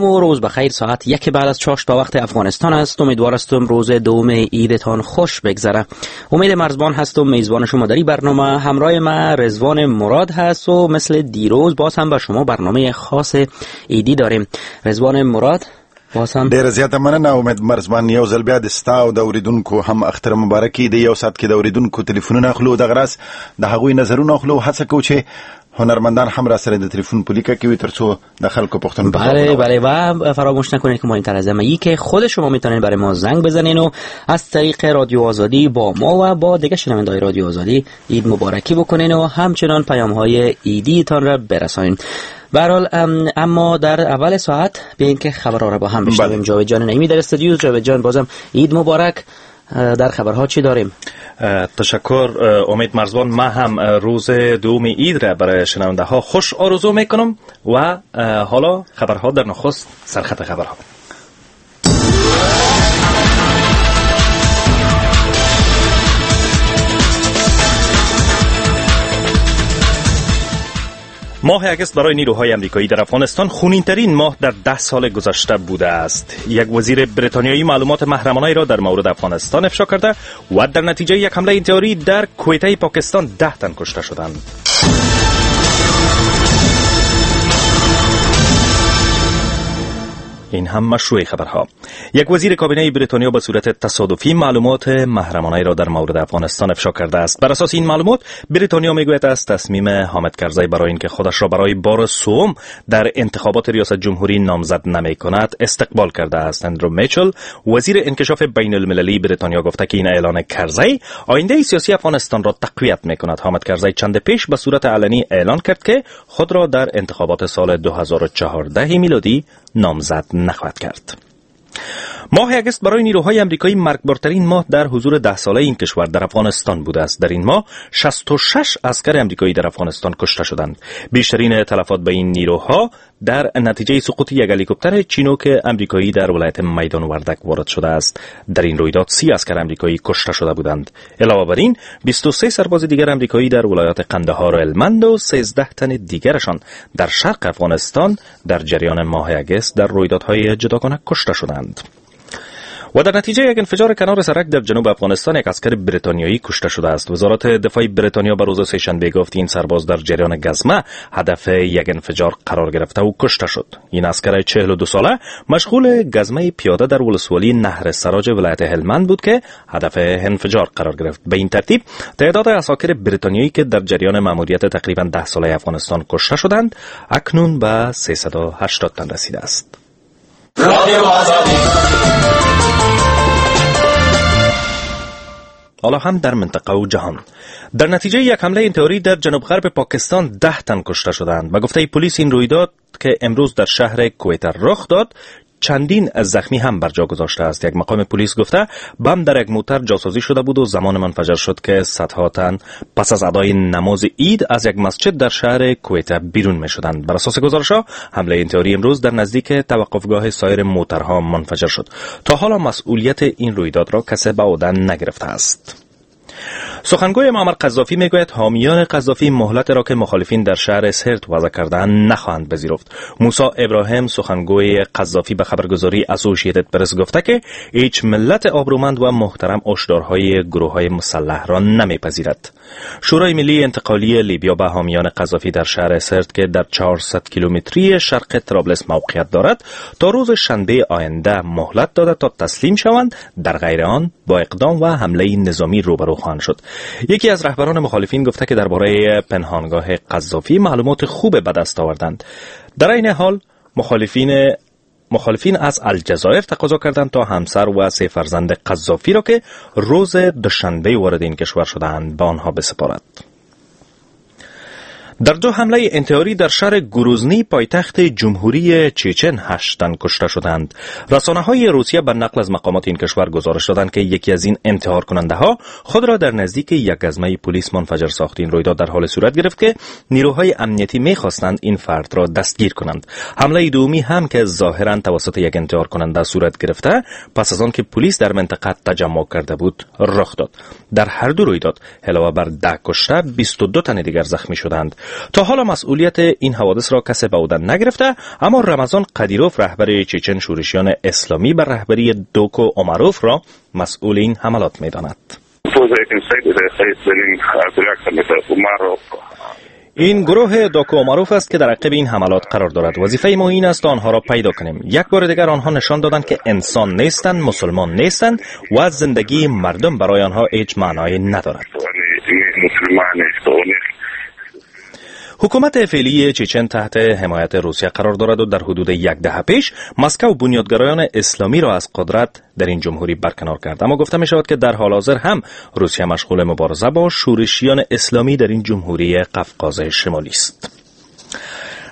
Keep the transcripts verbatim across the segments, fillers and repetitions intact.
سلام و روز بخیر. ساعت یک بعد از چاشت به وقت افغانستان است. امیدوار هستم روز دوم عیدتان خوش بگذره. امید مرزبان هستم، میزبان شما در این برنامه. همراه ما رضوان مراد هست و مثل دیروز باز هم با شما برنامه خاص عیدی داریم. رضوان مراد ډیره زیاته مننه امید مرزبان. یو ځل بیا د ستا او د اورېدونکو هم اختر مبارکي. د یو ساعت کې د اورېدونکو تلیفونونه اخلو، دغه راز د هغوی نظرونه اخلو. هڅه کوو چې هنرمندان هم را سره د تلفن په لیکه کې وي ترڅو د خلکو پوښتنو. بله بله، و فراموش نکنید که مهمتر از همه ای که خود شما میتونید برای ما زنگ بزنین و از طریق رادیو آزادی با ما و با دیگه شنونده‌های رادیو آزادی عید مبارکی بکنین و همچنان پیام‌های عیدیتان را برسانین. به هر حال اما در اول ساعت به اینکه خبرها را با هم بشنویم. جاوید جان نعیمی در استودیو. جاوید جان بازم عید مبارک. در خبرها چی داریم؟ تشکر امید مرزبان. من هم روز دوم عید را برای شنونده ها خوش آرزو میکنم و حالا خبرها در نخست سرخط خبرها. ماه اگست برای نیروهای امریکایی در افغانستان خونین‌ترین ماه در ده سال گذشته بوده است. یک وزیر بریتانیایی معلومات محرمانه را در مورد افغانستان افشا کرده و در نتیجه یک حمله انتحاری در کویته پاکستان ده تن کشته شدند. این هم مشروع خبرها. یک وزیر کابینه بریتانیا به صورت تصادفی معلومات محرمانه را در مورد افغانستان افشا کرده است. بر اساس این معلومات بریتانیا میگوید از تصمیم حامد کرزی برای اینکه خودش را برای بار سوم در انتخابات ریاست جمهوری نامزد نمیکند استقبال کرده است. اندرو میچل وزیر انکشاف بین المللی بریتانیا گفته که این اعلان کرزی آینده سیاسی افغانستان را تقویت میکند. حامد کرزی چند پیش به صورت علنی اعلان کرد که خود را در انتخابات سال دو هزار و چهارده میلادی نامزد نخواهد کرد. ماه اگست برای نیروهای امریکایی مرگبارترین ماه در حضور ده ساله این کشور در افغانستان بوده است. در این ماه شصت و شش عسکر امریکایی در افغانستان کشته شدند. بیشترین تلفات به این نیروها در نتیجه سقوط یک هلیکوپتر چینوک امریکایی در ولایت میدان وردک وارد شده است. در این رویداد سی عسکر امریکایی کشته شده بودند. علاوه بر این بیست و سه سرباز دیگر امریکایی در ولایات قندهار و هلمند و سیزده تن دیگرشان در شرق افغانستان در جریان ماه اگست در رویدادهای جداگانه کشته شدند. و در نتیجه یک انفجار کنار سرک در جنوب افغانستان یک عسکر بریتانیایی کشته شده است. وزارت دفاع بریتانیا به روز سه‌شنبه گفت این سرباز در جریان گزمه هدف یک انفجار قرار گرفته و کشته شد. این عسکر چهل و دو ساله مشغول گزمه پیاده در ولسوالی نهر سراج ولایت هلمند بود که هدف انفجار قرار گرفت. به این ترتیب تعداد عساکر بریتانیایی که در جریان ماموریت تقریبا ده ساله افغانستان کشته شدند اکنون به سیصد و هشتاد تن رسیده است. حالا هم در منطقه و جهان. در نتیجه یک حمله انتحاری در جنوب غرب پاکستان ده تن کشته شدند. به گفته پلیس این رویداد که امروز در شهر کویته رخ داد چندین زخمی هم بر جا گذاشته است. یک مقام پلیس گفته بم در یک موتر جاسازی شده بود و زمان منفجر شد که صدها تن پس از ادای نماز عید از یک مسجد در شهر کویته بیرون می شدند. بر اساس گزارش‌ها حمله انتحاری امروز در نزدیک توقفگاه سایر موترها منفجر شد. تا حالا مسئولیت این رویداد را کسی به عهده نگرفته است. سخنگوی معمر قذافی میگوید حامیان قذافی مهلت را که مخالفین در شهر سرت وضع کردند نخواهند پذیرفت. موسی ابراهیم سخنگوی قذافی به خبرگزاری اسوسییتد پرس گفته که هیچ ملت آبرومند و محترم هشدارهای گروه‌های مسلح را نمیپذیرد. شورای ملی انتقالی لیبیا به حامیان قذافی در شهر سرت که در چهارصد کیلومتری شرق طرابلس موقعیت دارد تا روز شنبه آینده مهلت داده تا تسلیم شوند، در غیر آن با اقدام و حمله نظامی روبرو خواهند شد. یکی از رهبران مخالفین گفته که درباره پنهانگاه قذافی معلومات خوب به دست آوردند. در این حال مخالفین مخالفین از الجزایر تقاضا کردند تا همسر و سه فرزند قذافی را که روز دوشنبه وارد این کشور شدند به آنها بسپارد. در دو حمله انتحاری در شهر گروزنی پایتخت جمهوری چچن هشت تن کشته شدند. رسانه‌های روسیه به نقل از مقامات این کشور گزارش دادند که یکی از این انتحار کننده ها خود را در نزدیک یک گزمه پلیس منفجر ساخت. این رویداد در حال صورت گرفت که نیروهای امنیتی می‌خواستند این فرد را دستگیر کنند. حمله دومی هم که ظاهراً توسط یک انتحار کننده صورت گرفته پس از آن که پلیس در منطقه تجمع کرده بود رخ داد. در هر دو رویداد علاوه بر ده کشته بیست و دو تن دیگر زخمی شدند. تا حالا مسئولیت این حوادث را کسی به عهده نگرفته، اما رمضان قدیروف رهبر چچن شورشیان اسلامی بر رهبری دوکو عمروف را مسئول این حملات می‌داند. این گروه داکو عمروف است که در عقب این حملات قرار دارد. وظیفه ما این است آنها را پیدا کنیم. یک بار دیگر آنها نشان دادند که انسان نیستند، مسلمان نیستند و زندگی مردم برای آنها هیچ معنایی ندارد. حکومت فعلی چچن تحت حمایت روسیه قرار دارد و در حدود یک دهه پیش مسکو بنیادگرایان اسلامی را از قدرت در این جمهوری برکنار کرد. اما گفته می شود که در حال حاضر هم روسیه مشغول مبارزه با شورشیان اسلامی در این جمهوری قفقاز شمالی است.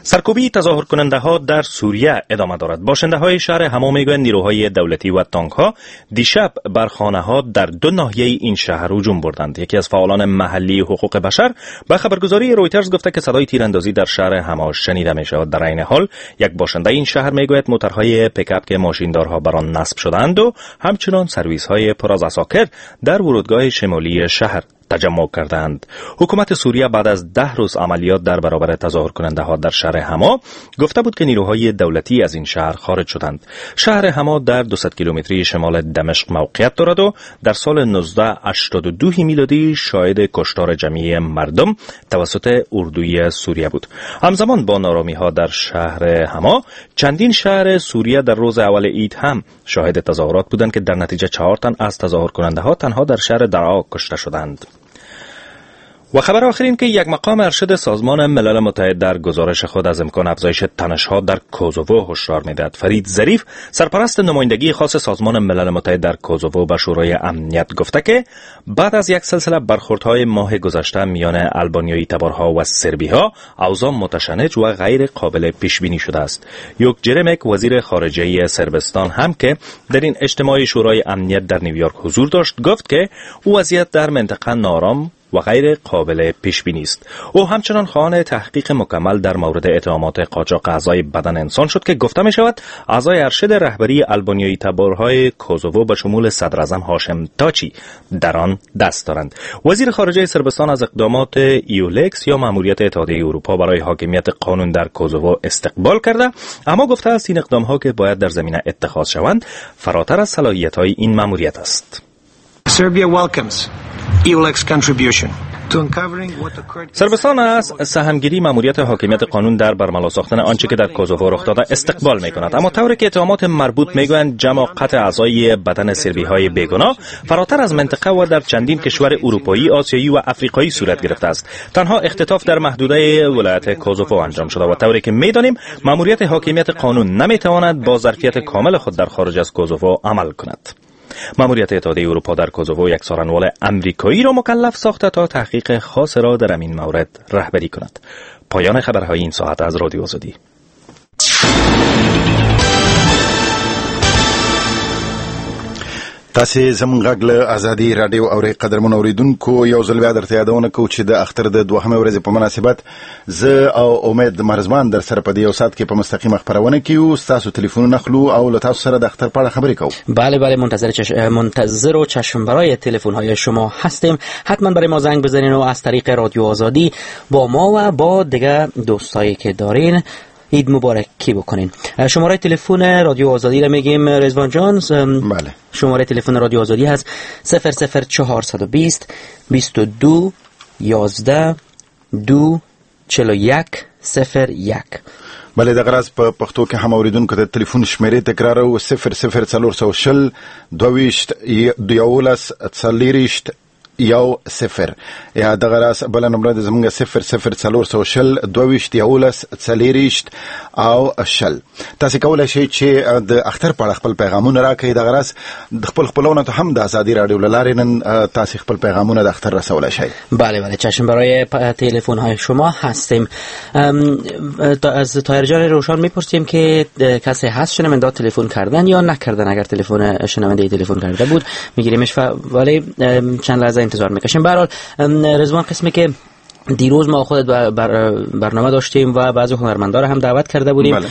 سرکوبی تظاهر کننده ها در سوریه ادامه دارد. باشنده های شهر حما میگویند نیروهای دولتی و تانک ها دیشب بر خانه ها در دو ناحیه این شهر هجوم بردند. یکی از فعالان محلی حقوق بشر به خبرگزاری رویترز گفته که صدای تیراندازی در شهر حما شنیده می شود. در عین حال یک باشنده این شهر میگوید موتورهای پیکاپ که ماشیندارها بر آن نصب شدند و همچنان سرویس های پر از عساکر در ورودگاه شمالی شهر تجمع کردند. حکومت سوریه بعد از ده روز عملیات در برابر تظاهر کننده ها در شهر حما گفته بود که نیروهای دولتی از این شهر خارج شدند. شهر حما در دویست کیلومتری شمال دمشق موقعیت دارد و در سال نوزده هشتاد و دو میلادی شاهد کشتار جمعی مردم توسط اردوی سوریه بود. همزمان با نارامی ها در شهر حما، چندین شهر سوریه در روز اول عید هم شاهد تظاهرات بودند که در نتیجه چهار تن از تظاهر کننده ها تنها در شهر درعا کشته شدند. و خبر آخر این که یک مقام ارشد سازمان ملل متحد در گزارش خود از امکان افزایش تنش‌ها در کوزوو هشدار می‌دهد. فرید ظریف، سرپرست نمایندگی خاص سازمان ملل متحد در کوزوو، به شورای امنیت گفته که بعد از یک سلسله برخوردهای ماه گذشته میان البانیایی تبارها و سربی‌ها، اوضاع متشنج و غیر قابل پیش‌بینی شده است. یوک جرمک، وزیر خارجه صربستان هم که در این اجتماع شورای امنیت در نیویورک حضور داشت، گفت که وضعیت در منطقه نارام و غیر قابل پیش بینی است. او همچنان خواهان تحقیق مکمل در مورد اتهامات قاچاق اعضای بدن انسان شد که گفته می شود اعضای ارشد رهبری البانیایی تبارهای کوزوو به شمول صدراعظم هاشم تاچی در آن دست دارند. وزیر خارجه صربستان از اقدامات ایولکس یا ماموریت اتحادیه اروپا برای حاکمیت قانون در کوزوو استقبال کرده، اما گفته است این اقدام ها که باید در زمینه اتخاذ شوند فراتر از صلاحیت های این ماموریت است. Serbia welcomes EULEX contribution to uncovering what occurred. صربستان از سهمگیری ماموریت حاکمیت قانون در برملا ساختن آنچه که در کوزوو رخ داده استقبال می‌کند، اما طوری که اتهامات مربوط می‌گویند جمع قطع اعضای بدن سربی‌های بیگناه فراتر از منطقه و در چندین کشور اروپایی، آسیایی و افریقایی صورت گرفته است. تنها اختطاف در محدوده ولایت کوزوو انجام شده و طوری که می‌دانیم ماموریت حاکمیت قانون نمی‌تواند با ظرفیت کامل خود در خارج از کوزوو عمل کند. ماموریت اتحادیه اروپا در کوزوو یک سارنوال امریکایی را مکلف ساخته تا تحقیق خاص را در این مورد رهبری کند. پایان خبرهای این ساعت از رادیو آزادی. تاسو زموږ غږ له ازادي رادیو اورئ. قدرمن اوریدونکو، یو ځل بیا درته یادونه کوو چې د اختر د دوهمې ورځې په مناسبت زه او امید مرزمان در سره په دې یو ساعت کې په مستقیمه خپرونه کې یو. ستاسو تلیفونونه اخلو او له تاسو سره د اختر په اړه خبرې کوو. بله بله، منتظر چش... منتظر و چشم برای تلفن های شما هستیم. حتما برای ما زنگ بزنین و از طریق رادیو آزادی با ما و با دیگه دوستایی که دارین عید مبارکی بکنین. شماره تلفن رادیو آزادی را میگیم رضوان جان. بله، شماره تلفن رادیو آزادی هست صفر صفر چهار دو صفر بیست و دو یازده دو چهل و یک صفر یک. بله، دغه راز په پښتو کې هم اوریدونکو ته تلیفون شمیرې تکرارو صفر صفر څلور سوه شل دوه ویشت یولس څلېرویشت یو صفر، یا دغه راز بله نمره د زمونږ صفر صفر څلور سوه شل دوه ویشت یولس څلېرویشت او شل. تاسو کولی شئ چې د اختر په اړه خپل پیغامونه راکړئ. دغه راز د خپل خپلوانو ته هم د ازادي رادیو له لارې نن تاسو خپل پیغامونه د اختر رسولی شئ. بله بله، چشم برای تلفن های شما هستیم. از طاهر جان روشان میپرسیم که کسی هست شنونده تلفن کردن یا نکردن. اگر تلفن شنونده تلفن کرده بود میگیریمش، ولی چند لحظه انتظار میکشیم. به هر حال رضوان، قسمی که دیروز ما خودت بر برنامه داشتیم و بعضی هنرمندا را هم دعوت کرده بودیم. بله.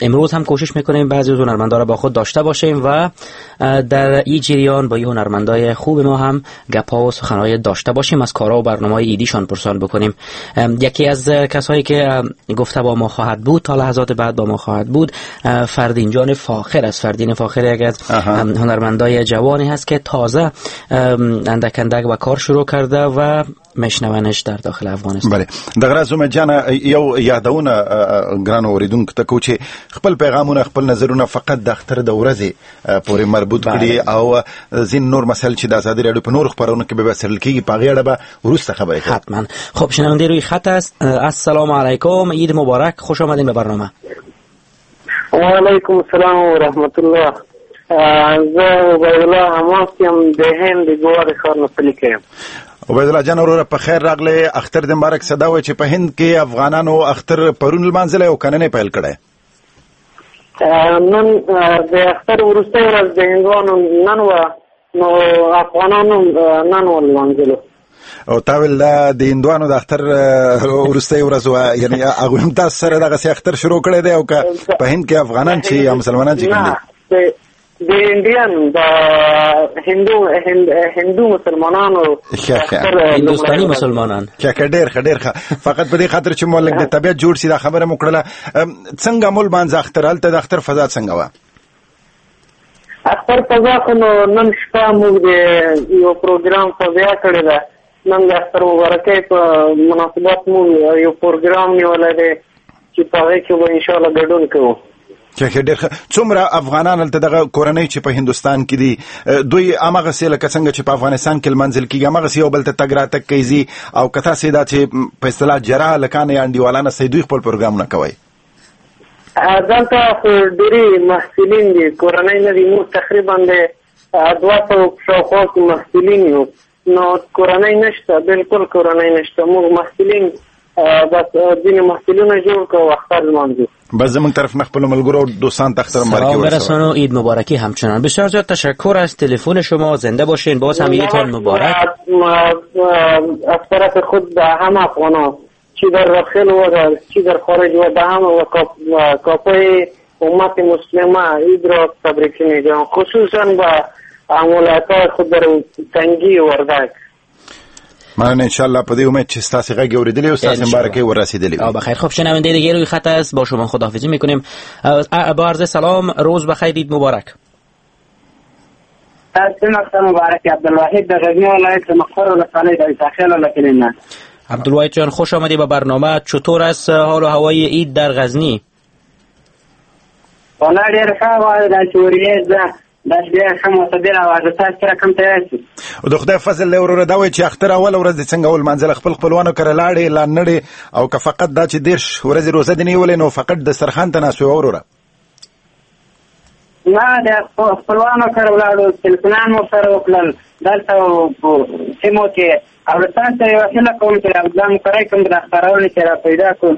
امروز هم کوشش میکنیم بعضی از هنرمندا را با خود داشته باشیم و در این جریان با این هنرمندای خوب ما هم گپ‌ها و سخن‌های داشته باشیم، از کارها و برنامه‌های ایدیشان پرسان بکنیم. یکی از کسایی که گفته با ما خواهد بود تا لحظات بعد با ما خواهد بود فردین جان فاخر است. فردین فاخر یکی از هنرمندای جوانی هست که تازه اندک اندک و کار شروع کرده و مشنونش در داخل افغانستان. بله، دغه راز امید جان یو یادونه ګرانو اوریدونکو ته کوو چې خپل پیغامونه خپل نظرونه فقط د اختر د ورځې پورې مربوط کړي او ځین نور مسائل چې د ازادي راډیو په نور خپرونو کې به څېړل کېږي په هغې اړه به وروسته خبرې کوو. حتما. خب شنونده روی خط است. السلام علیکم، عید مبارک، خوش آمدین به برنامه. و علیکم السلام و رحمت الله. زه عبیدالله حماس یم، د هند د ګوا د ښار نه پلي یم. عبیدالله جان وروره په خیر راغلی، اختر دې مبارک. څه دا وایي چې په هند کې افغانانو اختر پرون لمانځلی او که نن یې پیل کړی؟ نن د اختر وروستۍ ورځ د هندوانو نن وه، نو افغانانو نن ولمانځلو. او تا ویل دا د هندوانو د اختر وروستۍ ورځ وه، یعنې هغوی هم تاسو سره دغسې اختر شروع کړی دی او که په هند کې افغانان چې یا مسلمانان چې کوم دي؟ د انډین د هندو هند هندو مسلمانانو هندوستاني مسلمانان. ښه ښه، ډېر ښه ډېر ښه. فقط په دې خاطر چې مو لږ د طبیعت جوړ سي دا خبره مو کړله. څنګه مو لمانځه اختر؟ هلته د اختر فضا څنګه وه؟ اختر فضا خو نو نن شپه موږ د یو پروګرام فضا کړې ده. نن د اختر مبارکۍ په مناسبت موږ یو پروګرام نیولی دی چې په هغې کې به انشاءالله ګډون کوو. چې ډېر ښه. څومره افغانان هلته دغه کورنۍ چې په هندوستان کې دي دوی هماغسې لکه څنګه چې په افغانستان کې لمانځل کېږي هماغسې یو بل ته تګ راتګ کوي ځي، او که تاسې دا چې په اصطلاح جرا هلکان یا انډیوالان هستئ دوی خپل پروګرامونه کوئ؟ دلته خو ډېری محصلین دي، کورنۍ نه دي. موږ تقریبا د دوه سوه په شاوخوا کې محصلین یو، نو کورنۍ نشته، بالکل کورنۍ نشته. موږ محصلین بس ځینې محصلونه جوړ کړو اختر لمانځو. بس زموږ طرف نه خپل ملګرو او دوستان ته اختر مبارکي سلام برسانو، عید مبارکی همچنان. بسیار زیاد تشکر از تلفن شما، زنده باشین، باز هم عیدتان مبارک. از طرف خود به همه افغانان چی در داخل و در چی در خارج و به همه و کافه امت مسلمه عید را تبریک میگم، خصوصا به ولایت‌های خود در تنگی وردک. مننه. ان شاء الله په دې امید چې ستاسې غږ اورېدلی او ستاسې مبارکۍ وررسېدلې وي. او بخیر. خب شنونده دیگه روی خط است، با شما خداحافظی میکنیم. با عرض سلام، روز بخیر، عید مبارک. تاسو مبارک. عبدالواحد د غزنی ولایت د مقر ولسوالۍ د عیسی له کلي نه. عبدالواحد جان خوش آمدی به برنامه. چطور است حال و هوای عید در غزنی؟ والا ډېر ښه وه، داسې ورېځ ده، داسې ډېر ښه معتدل هوا ده. تاسو سره کوم تیار شئ؟ د خدای فضل دی وروره. دا وایي چې اختر اوله ورځ دې څنګه ولمانځله؟ خپل خپلوانو کره لاړې لا نړې، او که فقط دا چې دېرش ورځې روزه دې نیولې نو فقط دسترخوان ته ناست وې وروره؟ نه، د خپلوانو کره ولاړو، تلفونان مو سره وکړل دلته سیمو کې. او له تاسو سره یوه هیله کوم چې عبدالله مقري کوم د خپرونې چې را پیدا کړو.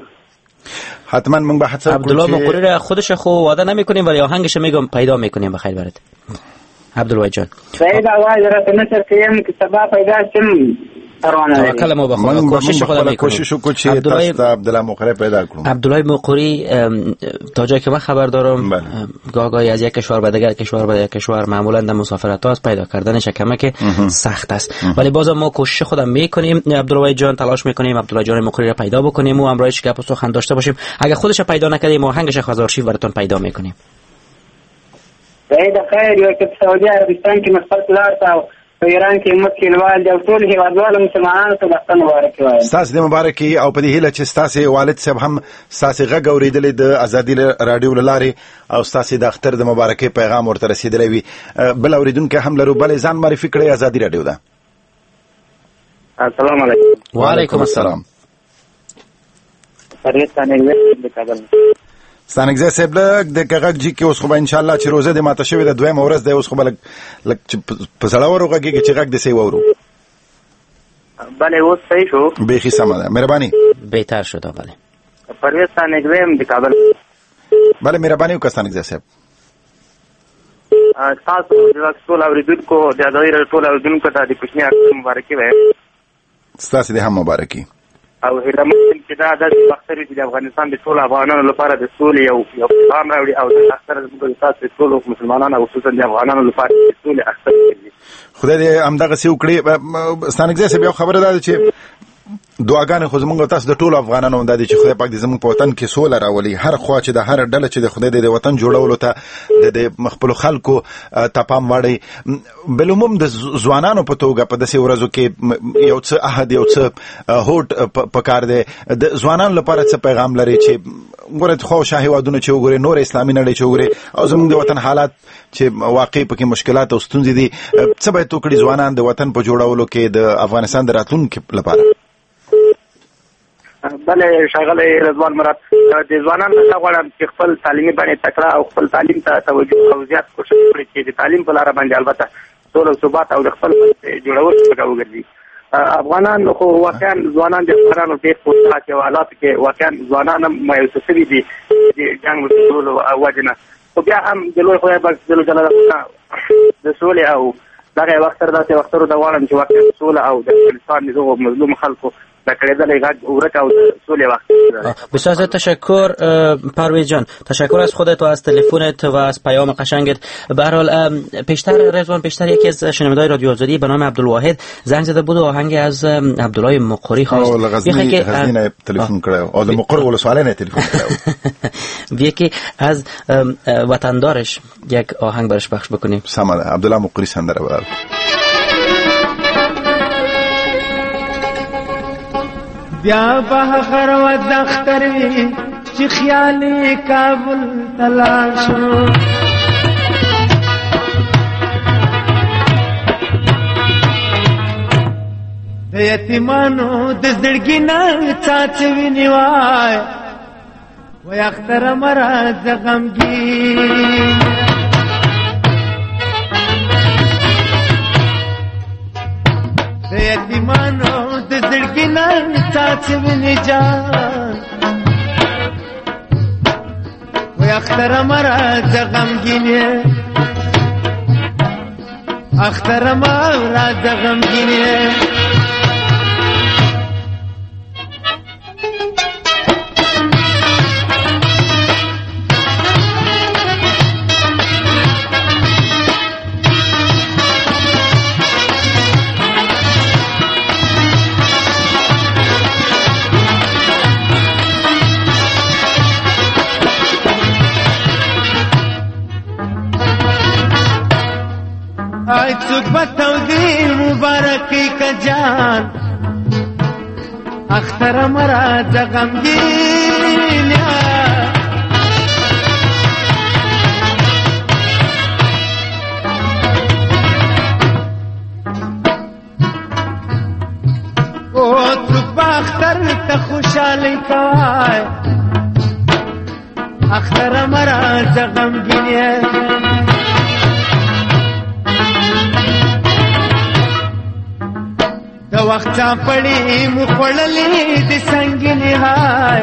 حتما موږ به هڅه وکړو. عبدالله مقری را خودش خو وعده نمیکنیم ولی آهنگش میگم پیدا میکنیم. بخیر برات عبدالواحد جان. سعید آواز راته نشر کوم که سبا پیدا شم. توکل ما به خدا، کوشش خدا میکنیم، کوشش وکړو چې تاسو ته عبدالله مقری پیدا کړو. عبدالله مقری تا جایی که من خبر دارم گاه گاهی از یک کشور به دیگر کشور به دیگر کشور معمولا در مسافرت ها پیدا کردنش کمه که سخت است، ولی بازم ما کوشش خودم میکنیم. عبدالله جان تلاش میکنیم عبدالله جان مقری را پیدا بکنیم و همراهش گپ و سخن داشته باشیم. اگه خودش پیدا نکردیم آهنگش از آرشیو براتون پیدا میکنیم. سعید خیر. یو چې په سعودي عربستان کې مې خپل پلار ته او په ایران کې مې کلیوال دي او ټول هېوادوالو مسلمانانو ته د اختر مبارکي وایم. ستاسو دې مبارکي او په دې هیله چې ستاسې والد صاحب هم ستاسې غږ اورېدلی د ازادي راډیو له لارې او ستاسې د اختر د مبارکۍ پیغام ورته رسېدلی وي. بل اورېدونکی هم لرو، بلې ځان معرفي کړئ. ازادي راډیو ده. السلام علیکم. وعلیکم السلام. پرویز ستانکزی د کابل. ستانکزی صاحب لږ د غږ جي کې اوس خو به انشاءالله چې روزه دې ماته شوې ده دویمه ورځ دی، اوس خو به لږ لږ چې په زړورو غږېږي چې غږ دې صحیح واورو. بله اوس صحیح شو، بیخي سمه ده، مهرباني. بهتر شد. بله پرویز ستانکزی یم د کابل. بله مهرباني وکړه ستانکزی صاحب. ستاسو د ټول اورېدونکو د ازادي راډیو ټول اورېدونکو ته د کوچني اختر مبارکي وایم. ستاسې دې هم مبارکي. او هیله من یم چې دا داسې اختر وي چې د افغانستان د ټولو افغانانو لپاره د سولې یو یو پیغام راوړي او د اختر زموږ د تاسو د ټولو مسلمانانو او خصوصا د افغانانو لپاره د سولې اختر وي. خدای دې همدغسې وکړي. ستانکزی صاحب، یو خبره دا ده چې دعاګانې خو زموږ تاسو د ټولو افغانانو دا دي چې خدای پاک دې زموږ په وطن کې سوله راولي. هر خوا چې د هر ډله چې د خدای دې د وطن جوړولو ته د خپلو خلکو ته پام واړوي. بالعموم د ځوانانو په توګه په داسې ورځو کې یو څه عهد، یو څه هوډ پکار دی. د ځوانانو لپاره څه پیغام لري چې ګوره خو شاه هېوادونه چې وګوري، نور اسلامي نړۍ چې وګوري، او زموږ د وطن حالات چې واقعي پکې مشکلات او ستونزې دي، څه باید وکړي ځوانان د وطن په جوړولو کې د افغانستان د راتلونکي لپاره؟ بله ښاغلی رضوان مراد، د ځوانانو نه غواړم چې خپل تعلیمي باندې تکړه او خپل تعلیم ته توجه او زیات کوښښ وکړي چې د تعلیم په لاره باندې البته سوله او ثبات او د خپل جوړولو څخه وګرځي. افغانان خو واقعا ځوانان د افغانانو ډېر په داسې حالاتو کې واقعا ځوانان هم مایوسه شوي دي د جنګ وسلو او وجې نه، خو بیا هم د لوی خدای پاک جل جلاله د سولې او دغه یو اختر داسې اخترو ته غواړم چې واقعا سوله او د افغانستان د دغو مظلومو خلکو بسیار زیاد تشکر پرویز جان، تشکر از خودت و از تلفنت و از پیام قشنگت. به هر حال پیشتر رضوان، پیشتر یکی از شنونده‌های رادیو آزادی به نام عبدالواحد زنگ زده بود و آهنگ از عبدالله مقری خواست. او غزنی غزنی نه تلفن کړو او د مقر ولسوالۍ نه تلفن کړو. بیا که از وطندارش یک آهنگ برش پخش بکنیم. سمه ده، عبدالله مقری سندره برای بیا به هغه ورځ اختر وي چې خیال یې کابل ته لاړ شو. د یتیمانو د زړګي نه څاڅي وینې وای، وای اختره مه راځه غمګین. د یتیمانو د زړګي نه څاڅي وینې جان، وای اختره مه راځه غمګین، اختره مه راځه غمګین. آی څوک به تودې مبارکي که جان، اختره مه راځه غمګین. او څوک به اختر ته خوشحالي کوای، اختره مه راځه غمګین. د وخت چاپړې مو خوړلې د سنګینې های،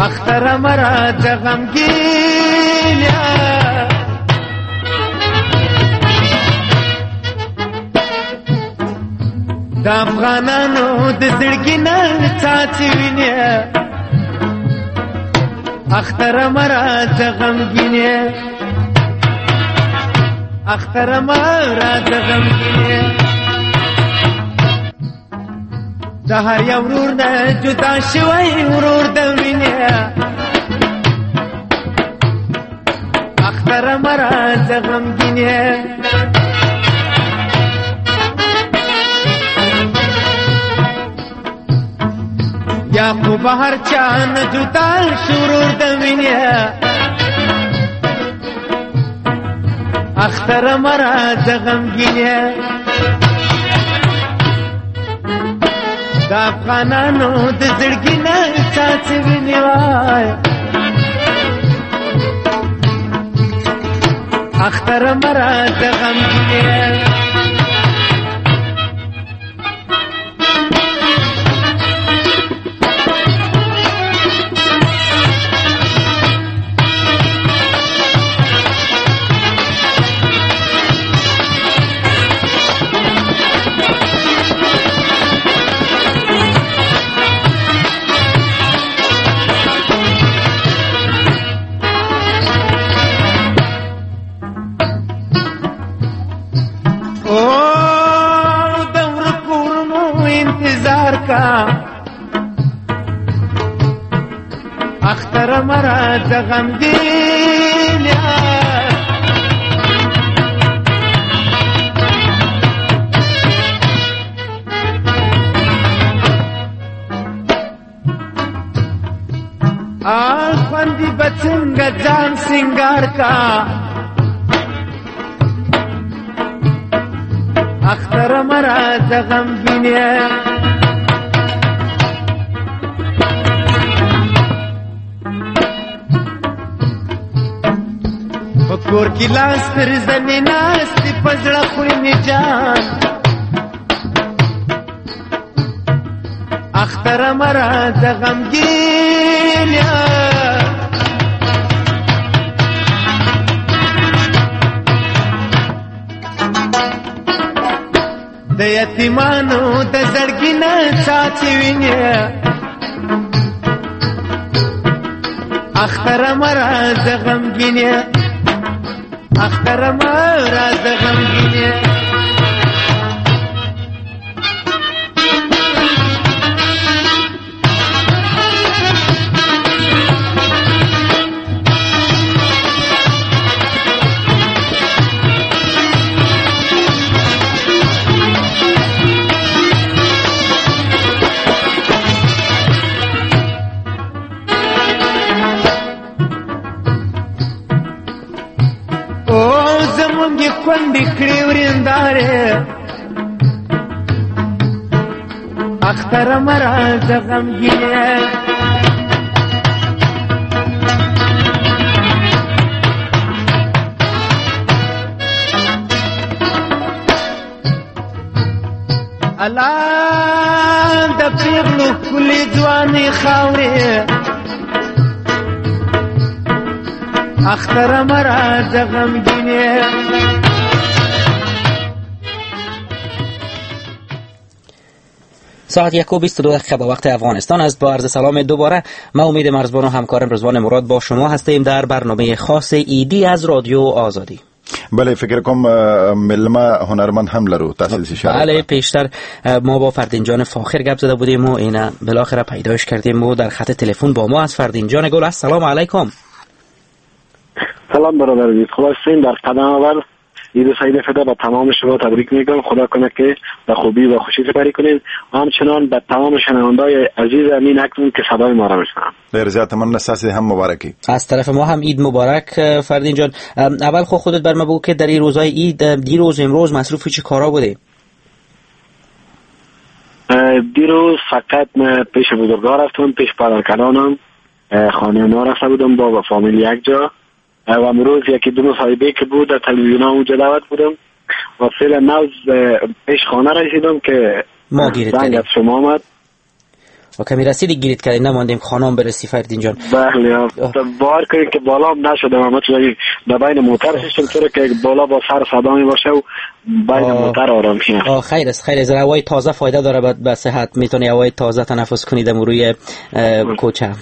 اختره مه راځه غمګین. د افغانانو د زړګي نه څاڅي وینې، اختره مه راځه غمګین، اختره مه راځه غمګین. د هر یو ورور نه جدا شوی ورور د وینې، اختره مه راځه غمګین. یعقوب هر چا نه جدا شو ورور د وینې، اختره مه راځه غمګین. د افغانانو د زړګي نه څاڅي وینې وای، اختره مه راځه غمګین. راځه غمګین خوندي به څنګه ځان سینګار کا اختر مه راځه غمګین په کور کې لاس تر زنې ناست دي په زړه خوري مې جان اختر مه راځه غمګین د یتیمانو د زړګي نه څاڅي وینې اختر مه راځه غمګین اختر مه راځه غمګین خوندې کړې ورېندارې اختر مه راځه غمګینې الله د پېغلو ښکلې ځوانې خاورې اختر مه راځه غمګینې. ساعت یک و بیست و دو دقیقه به وقت افغانستان است. با عرض سلام دوباره ما امید مرزبان و همکارم رضوان مراد با شما هستیم در برنامه خاص عیدی از رادیو آزادی. بله فکر کنم ملما هنرمند هم لرو تاسو اشاره. بله پیشتر ما با فردین جان فاخر گپ زده بودیم و اینا بالاخره پیداش کردیم و در خط تلفن با ما از فردین جان گل. السلام علیکم. سلام برادر عزیز، خلاصین در قدم اول عید سعید فطر به تمام شما تبریک میگم. خدا کنه که به خوبی و خوشی سپری کنید و همچنان به تمام شنوندای عزیز امین اکنون که صدای ما را میشنوند. ډیر زیات مننه، ستاسو هم مبارکی. از طرف ما هم عید مبارک فردین جان. اول خو خودت بر ما بگو که در این روزهای عید، دیروز امروز مصروف چه کارا بودی؟ دیروز فقط من پیش بزرگا رفتم، پیش پدرکلانم، خانه ما رفته بودم با فامیل یک جا و امروز یکی دو مصاحبه که بود در تلویزیون اونجا دعوت بودم و فعلا نوز پیش خانه رسیدم که ما گیرید زنگ از شما آمد و کمی رسیدی گیرید کردیم، نماندیم خانم برسی فردین جان. بله بار کنید که بالا هم نشدم، اما چون به بین موتر ششتم چرا که بالا با سر صدا می باشه و بین موتر آرام شیم. آه خیر است، خیر است. هوای تازه فایده داره به صحت، میتونی هوای تازه تنفس کنید روی کوچه.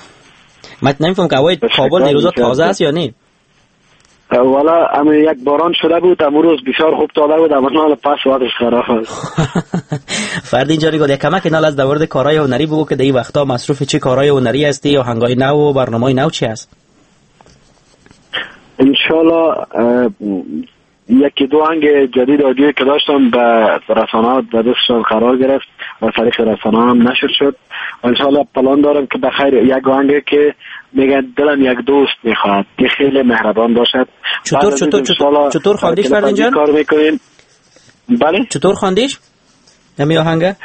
من نمیفهم که هوای کابل دیروزا تازه است یا نه. والا اما یک باران شده بود امروز بسیار خوب تازه بود، اما حالا پس وضعش خراب است. فردین جان گل، یک کمک نال از در کارهای هنری بگو که در این وقتا مصروف چه کارهای هنری هستی یا هنگای نو و برنامه‌های نو چی است؟ انشالله یکی دو آهنگ جدید audio که داشتم به رسانه‌ها در دستشان قرار گرفت و طریق رسانه‌ها هم نشر شد. انشالله پلان دارم که بخیر یک آهنگ که میگن دلم یک دوست میخواد که خیلی مهربان باشد. چطور چطور چطور چطور خواندیش فردین جان؟ کار میکنیم. بله چطور خواندیش؟ همین آهنگه؟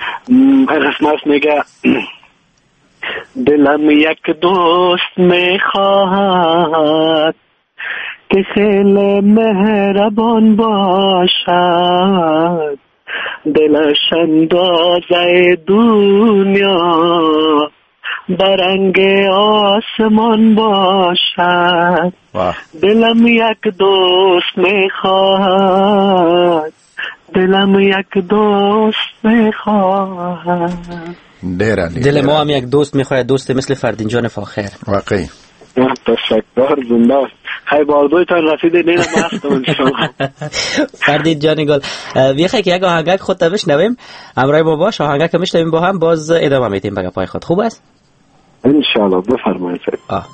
قسمت میگه دلم یک دوست میخواهد که خیلی مهربان باشد، دلش اندازه دنیا برنگ آسمان باشد، دلم یک دوست میخواهد، دلم یک دوست میخواهد. دل ما هم یک دوست میخواهد، دوست مثل فردین جان فاخر. واقعی تشکر، زنده است. خیلی باردویتان رسیده نیرم هستم انشاءالله. فردین جان گل، بیخی که یک آهنگک خود تا بشنویم، همراه ما باش، آهنگک میشنویم با هم، باز ادامه میدیم به گپای خود. خوب است؟ انشاءالله بفرمایید. آه.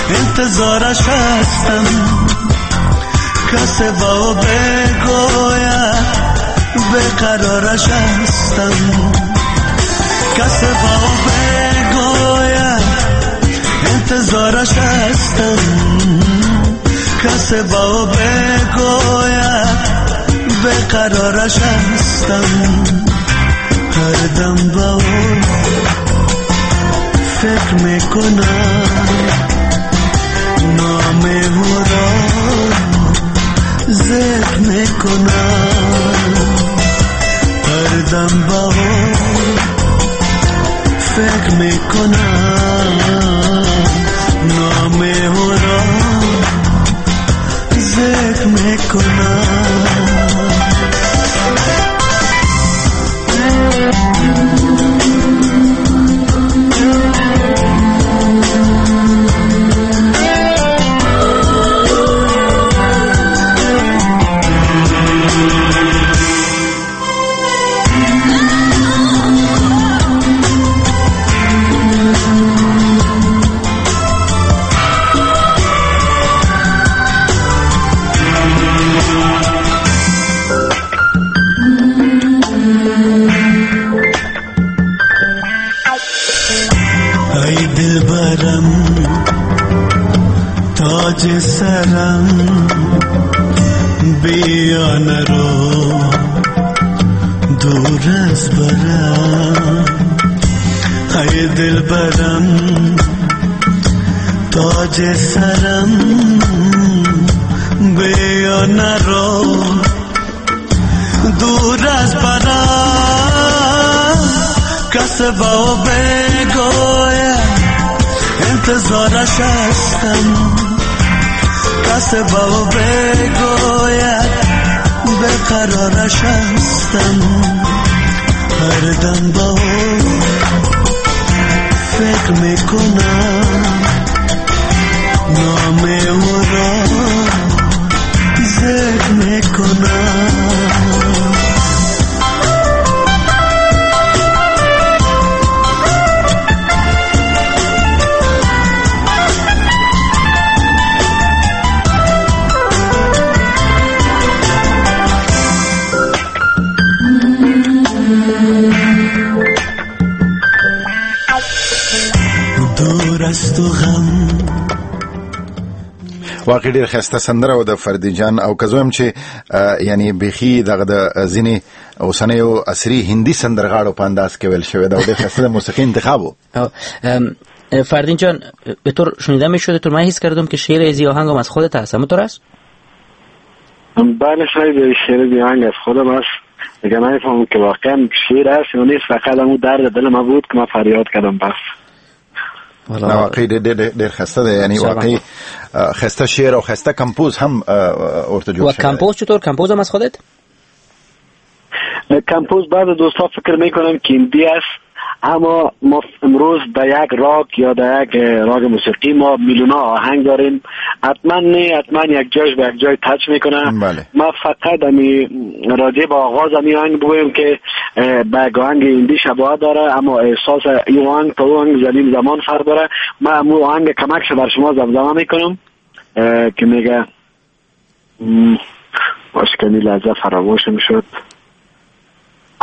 انتظارش هستم، کس با بگوید به قرارش هستم، کس با بگوید انتظارش هستم، کس با بگوید به قرارش هستم. هر دم با او فکر میکنم، نام او را ذکر میکنم، هر دم با او فکر میکنم، نام او را ذکر میکنم. سرم بیا نرو دور از برم، ای دلبرم تاج سرم بیا نرو دور از برم، کس با بگوید انتظارش هستم، کس با بگوید به قرارش هستم، هر دم با او فکر میکنم، نام او را ذکر میکنم. واقعي ډیر ښایسته سندره او د فردین جان او که زه وایم چې یعنی بیخي دغه د ځینې اوسنیو عصري هندي سندرغاړو په انداز کې ویل شوې ده او ډېر ښایسته د موسیقي انتخاب و. فردین جان به طور شنیده میشد تو من حس کردم که شعر ازی آهنگم از خودت هست، همونطور است؟ بله شاید شعر ازی آهنگ از خودم است. دیگه نمیفهمم که واقعا شعر است یا نیست، فقط همون درد دل ما بود که من فریاد کردم بس. واقعي ډېر ډېر ښایسته دی، یعنی واقعي ښایسته شعر او ښایسته کمپوز هم ورته جوړ شوی. و کمپوز چطور؟ کمپوز هم از خودت؟ کمپوز بعض دوستا فکر میکنم که هندی است، اما ما امروز در یک راک یا در یک راک موسیقی ما میلیون آهنگ داریم، حتما نه حتما یک جایش به یک جای touch میکنه. بله. ما فقط امی راجع به آغاز امی آهنگ بگویم که به آهنگ هندی شباهت داره، اما احساس این آهنگ تا آهنگ زمین زمان فرق داره. ما امو آهنگ کمکش بر شما زمزمه میکنم که میگه باش کمی لحظه فراموشم شد.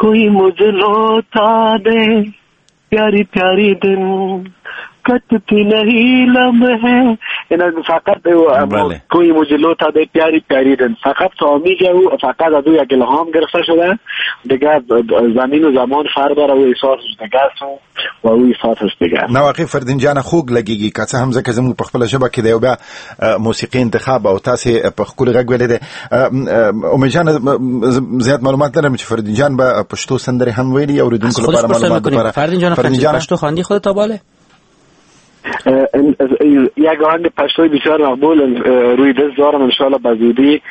کوئی مجھے لوٹا دے پیاری پیاری دن کٹتی نہیں لمحے، اینا فقط کوئی مجھے لوٹا دے پیاری پیاری دن، فقط تا او فقط از او یک الهام گرفته شده، دیگه زمین و زمان فرق داره و احساسش دیگه است و او احساسش دیگه. نه واقعي فردین جان خوږ لګیږي، که څه هم ځکه زموږ په خپله ژبه کې دی او بیا موسیقي انتخاب او تاسې په ښکلي غږ ویلی دی. امید جان زیات معلومات لرم چې فردین جان به پښتو سندرې هم ویلي اورېدونکو لپاره معلومات لپاره. فردین جان فردین پښتو خواندی خودت تا باله؟ یک آهنگ پشتوی بسیار مقبول روی دست دارم، انشاءالله به زودی